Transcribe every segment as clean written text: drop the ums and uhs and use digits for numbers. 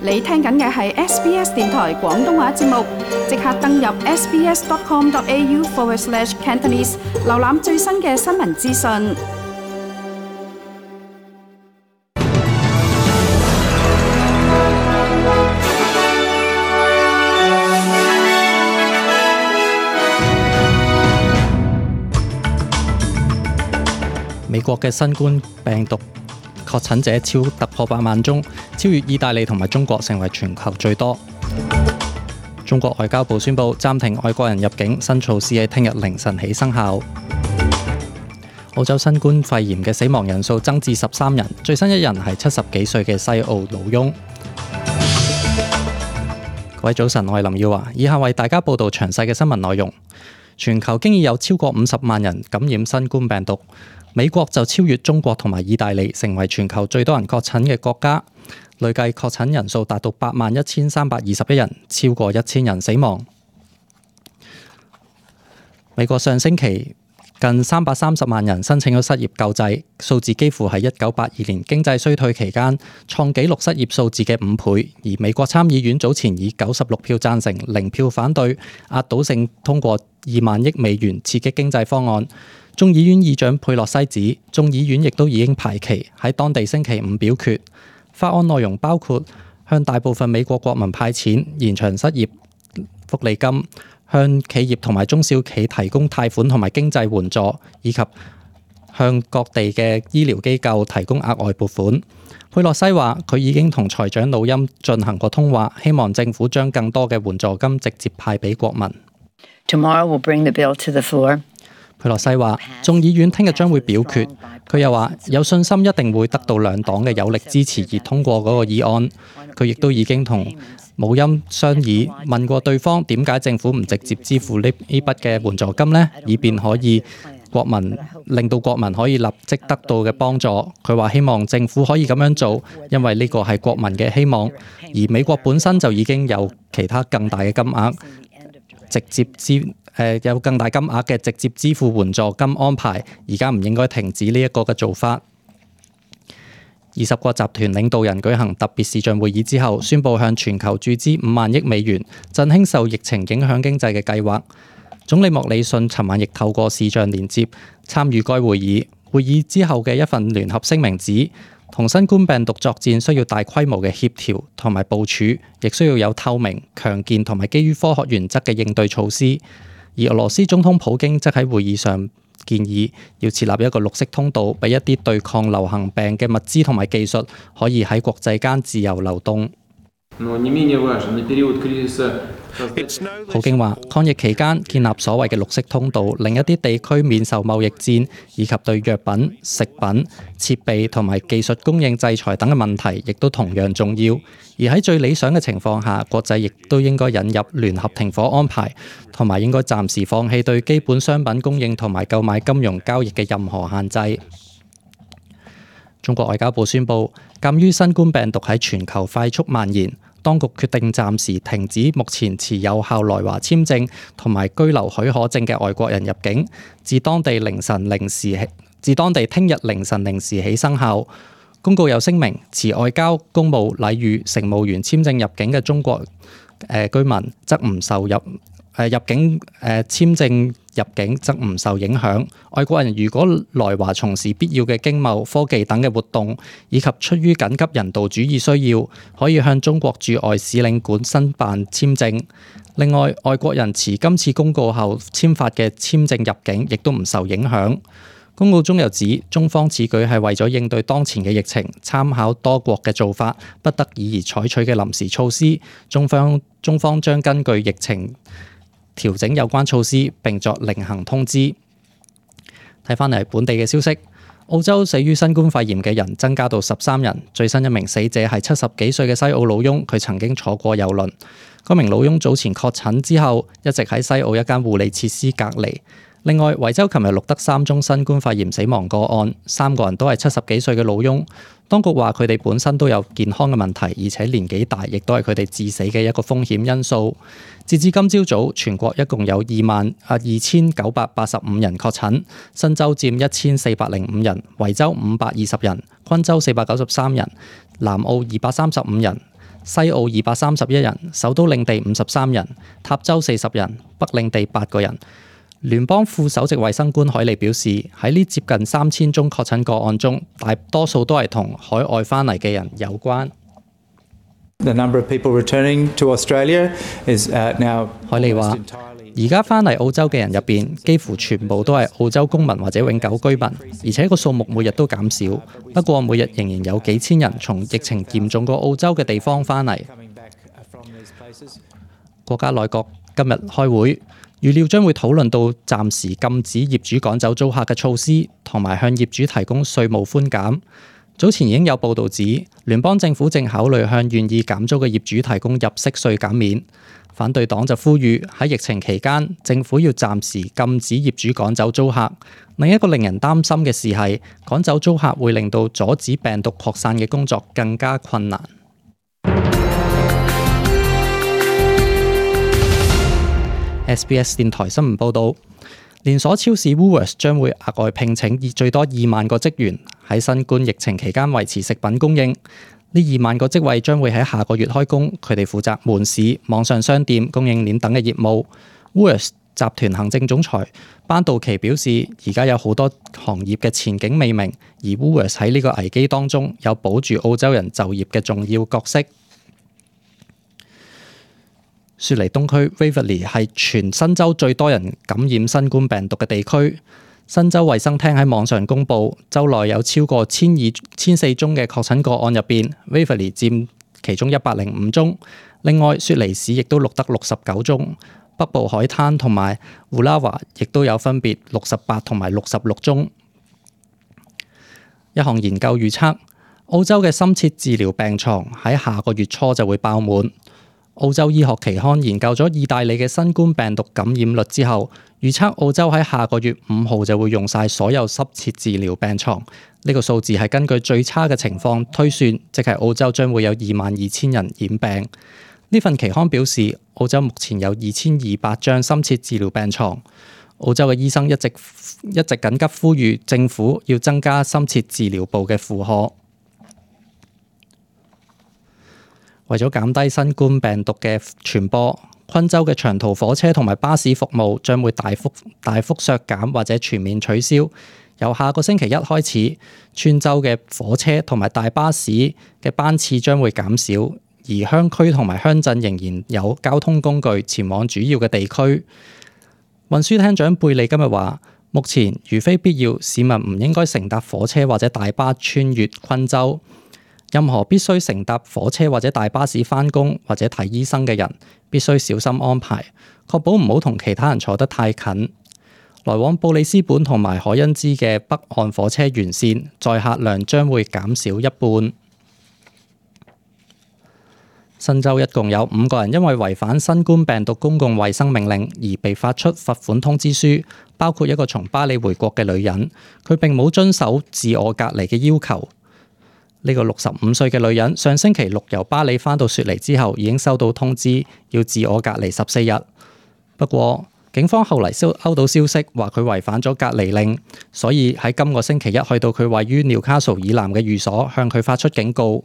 你聽緊嘅係 SBS 電台廣東話節目，即刻登入 sbs.com.au/Cantonese 瀏覽最新嘅新聞資訊。美國嘅新冠病毒確診者突破8萬宗，超越意大利同埋中國，成為全球最多。中國外交部宣布暫停外國人入境，新措施喺聽日凌晨起生效。澳洲新冠肺炎嘅死亡人數增至13人，最新一人係70幾歲嘅西澳老翁。各位早晨，我係林耀華，以下為大家報道詳細嘅新聞內容。全球經已有超過50萬人感染新冠病毒。美國就超越中國同埋意大利，成為全球最多人確診嘅國家，累計確診人數達到81321人，超過1000人死亡。美國上星期近330萬人申請咗失業救濟，數字幾乎係1982年經濟衰退期間創紀錄失業數字嘅5倍。而美國參議院早前以96票贊成、0票反對，壓倒性通過2萬億美元刺激經濟方案。眾議院議長佩洛西指，眾議院亦都已經排期喺當地星期5表決。法案內容包括向大部分美國國民派錢、延長失業福利金、向企業同埋中小企提供貸款同埋經濟援助，以及向各地嘅醫療機構提供額外撥款。佩洛西話，佢已經同財長魯欽進行過通話，希望政府將更多嘅援助金直接派俾國民。Tomorrow we'll bring the bill to the floor. 佩洛西話，眾議院聽日將會表決。佢又話有信心一定會得到兩黨嘅有力支持而通過嗰個議案。佢亦都已經同姆欽商議，問過對方點解政府唔直接支付呢筆嘅援助金呢？以便可以令到國民可以立即得到嘅幫助。佢話希望政府可以咁樣做，因為呢個係國民嘅希望。而美國本身就已經有其他更大嘅金額有更大金額嘅直接支付援助金安排，而家唔應該停止呢一個嘅做法。20個集團領導人舉行特別視像會議之後，宣布向全球注資5萬億美元，振興受疫情影響經濟嘅計劃。總理莫里遜尋晚亦透過視像連接參與該會議。會議之後嘅一份聯合聲明指，同新冠病毒作戰需要大規模嘅協調同埋部署，亦需要有透明、強健同埋基於科學原則嘅應對措施。而俄羅斯總統普京則喺會議上建議要設立一個綠色通道，俾一啲對抗流行病嘅物資同埋技術可以喺國際間自由流動。普京話，抗疫期間建立所謂嘅綠色通道，令一啲地區免受貿易戰以及對藥品、食品、設備同埋技術供應制裁等嘅問題，亦都同樣重要。而喺最理想嘅情況下，國際亦都應該引入聯合停火安排，同埋應該暫時放棄對基本商品供應同埋購買金融交易嘅任何限制。中國外交部宣布，鑑於新冠病毒喺全球快速蔓延，當局決定暫時停止目前持有效來華簽證同埋居留許可證嘅外國人入境，自當地聽日凌晨0時起生效。公告有聲明，持外交、公務、禮遇、乘務員簽證入境嘅中國居民則唔受入境簽證入境則唔受影響。外國人如果來華從事必要嘅經貿、科技等嘅活動，以及出於緊急人道主義需要，可以向中國駐外使領館申辦簽證。另外，外國人持今次公告後簽發嘅簽證入境，亦都唔受影響。公告中又指，中方此舉係為咗應對當前嘅疫情，參考多國嘅做法，不得已而採取嘅臨時措施。中方將根據疫情調整有關措施，並作另行通知。睇返嚟本地嘅消息，澳洲死於新冠肺炎嘅人增加到13人，最新一名死者係70幾歲嘅西澳老翁，佢曾經坐過郵輪。嗰名老翁早前確診之後，一直喺西澳一間護理設施隔離。另外，維州琴日錄得3宗新冠肺炎死亡個案，3個人都係70幾歲嘅老翁。當局話佢哋本身都有健康嘅問題，而且年紀大，亦都係佢哋致死嘅一個風險因素。截至今朝早，全國一共有22985人確診，新州佔1405人，維州520人，昆州493人，南澳235人。西澳231人，首都領地53人，塔州40人，北領地8個人。聯邦副首席衛生官海利表示，喺呢接近3000宗確診個案中，大多數都係同海外翻嚟嘅人有關。The number of people returning to Australia is now 海利話：而家翻嚟澳洲嘅人入邊，幾乎全部都係澳洲公民或者永久居民，而且個數目每日都減少。不過每日仍然有幾千人從疫情嚴重過澳洲嘅地方翻嚟。國家內閣今日開會，預料將會討論到暫時禁止業主趕走租客嘅措施，同埋向業主提供稅務寬減。早前已經有報導指，聯邦政府正考慮向願意減租嘅業主提供入息稅減免。反對黨就呼籲喺疫情期間，政府要暫時禁止業主趕走租客。另一個令人擔心嘅事係，趕走租客會令到阻止病毒擴散嘅工作更加困難。SBS 電台新聞報導，連鎖超市 Woolworths 將會額外聘請最多2萬個職員，喺新冠疫情期間維持食品供應。呢2萬個職位將會喺下個月開工，佢哋負責門市、網上商店、供應鏈等嘅業務。Woolworths 集團行政總裁班道奇表示，而家有好多行業嘅前景未明，而 Woolworths 喺呢個危機當中有保住澳洲人就業嘅重要角色。雪梨東區 Waverley 係全新州最多人感染新冠病毒嘅地區。新州衛生廳喺網上公布，州內有超過1400宗嘅確診個案入邊 ，Waverley 佔其中105宗。另外，雪梨市亦都錄得69宗，北部海灘同埋烏拉華亦都有分別68同埋66宗。一項研究預測，澳洲嘅深切治療病床喺下個月初就會爆滿。澳洲醫學期刊研究咗意大利嘅新冠病毒感染率之後，預測澳洲喺下個月5號就會用晒所有深切治療病床。呢個數字係根據最差嘅情況推算，即係澳洲將會有22000人染病。呢份期刊表示，澳洲目前有2200張深切治療病床。澳洲嘅醫生一直緊急呼籲政府要增加深切治療部嘅負荷。為咗減低新冠病毒嘅傳播，昆州嘅長途火車同埋巴士服務將會大幅削減或者全面取消。由下個星期一開始，川州嘅火車同埋大巴士嘅班次將會減少，而鄉區同埋鄉鎮仍然有交通工具前往主要嘅地區。運輸廳長貝利今日話，目前如非必要，市民唔應該乘搭火車或者大巴穿越昆州。任何必須乘搭火車或者大巴士返工或者睇醫生嘅人，必須小心安排，確保唔好同其他人坐得太近。來往布里斯本同埋海恩茲嘅北岸火車沿線載客量將會減少一半。新州一共有5個人因為違反新冠病毒公共衛生命令而被發出罰款通知書，包括一個從巴里回國嘅女人，佢並冇遵守自我隔離嘅要求。呢個65歲嘅女人上星期六由巴里返到雪梨之後，已經收到通知要自我隔離14日。不過警方後嚟收到消息話佢違反咗隔離令，所以喺今個星期一去到佢位於紐卡素以南嘅寓所，向佢發出警告。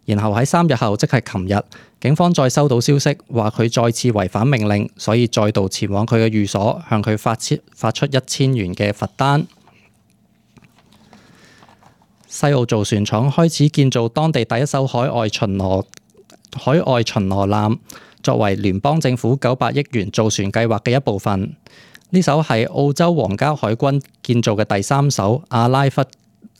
然後喺3日後，即係琴日，警方再收到消息話佢再次違反命令，所以再度前往佢嘅寓所，向佢發出1000元嘅罰單。西澳造船廠開始建造當地第一艘海外巡邏艦，作為聯邦政府900億元造船計劃嘅一部分。呢艘係澳洲皇家海軍建造嘅第3艘阿拉弗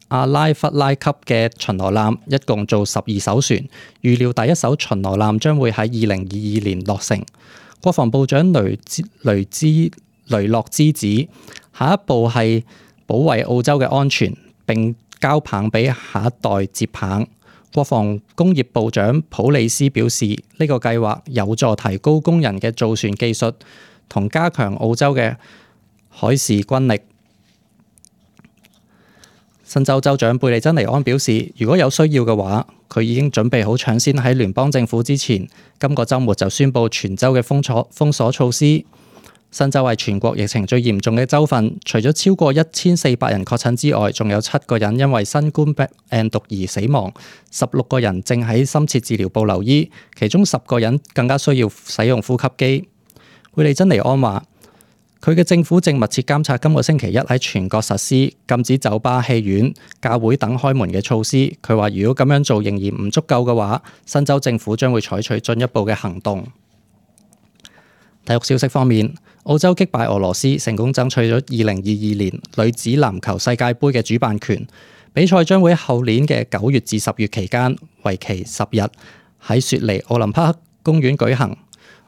拉級嘅巡邏艦，一共做12艘船。預料第一艘巡邏艦將會喺2022年落成。國防部長雷諾茲指，下一步係保衛澳洲嘅安全，並交棒俾下一代接棒。國防工業部長普里斯表示，呢個計劃有助提高工人嘅造船技術，同加強澳洲嘅海事軍力。新州州長貝利珍尼安表示，如果有需要嘅話，佢已經準備好搶先喺聯邦政府之前，今個週末就宣布全州嘅封鎖措施。新州係全國疫情最嚴重嘅州份，除咗超過1400人確診之外，仲有7個人因為新冠病毒而死亡，16個人正喺深切治療部留醫，其中10個人更加需要使用呼吸機。貝利珍尼安話：佢嘅政府正密切監察今個星期一喺全國實施禁止酒吧、戲院、教會等開門嘅措施。佢話：如果咁樣做仍然唔足夠嘅話，新州政府將會採取進一步嘅行動。體育消息方面，澳洲擊敗俄羅斯，成功爭取咗2022年女子籃球世界盃嘅主辦權。比賽將會喺後年嘅9月至10月期間，為期10日，喺雪梨奧林匹克公園舉行。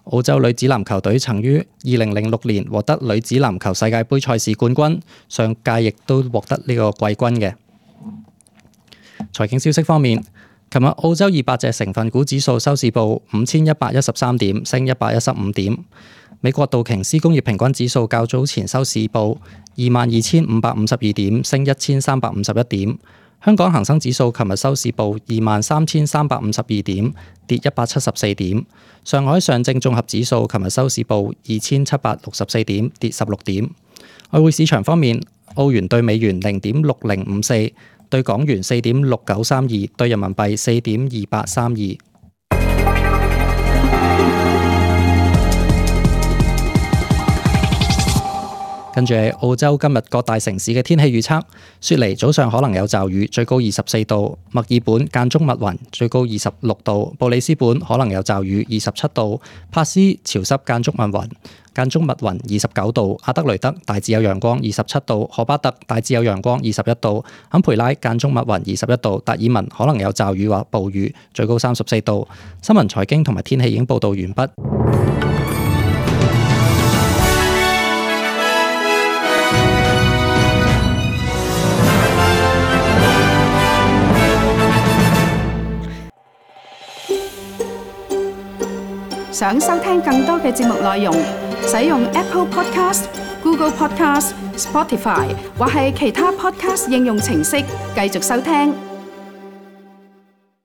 澳洲女子籃球隊曾於2006年獲得女子籃球世界盃賽事冠軍，上屆亦都獲得呢個季軍嘅。財經消息方面，琴日澳洲200隻成分股指數收市報5113點，升115點。美國道瓊斯工業平均指數較早前收市報22,552點，升1351點。香港恒生指數琴日收市報23,352點，跌174點。上海上證綜合指數琴日收市報2,764點，跌16點。外匯市場方面，澳元對美元0.6054，對港元4.6932，對人民幣4.2832。跟住係澳洲今日各大城市嘅天氣預測：雪梨早上可能有驟雨，最高24度；墨爾本間中密雲，最高26度；布里斯本可能有驟雨，27度；帕斯潮濕間中密雲29度；阿德雷德大致有陽光27度；荷巴特大致有陽光21度；坎培拉間中密雲21度；達爾文可能有驟雨或暴雨，最高34度。新聞財經同埋天氣已經報道完畢。想收聽更多嘅節目內容，使用 Apple Podcast、Google Podcast、Spotify 或係其他 Podcast 應用程式繼續收聽。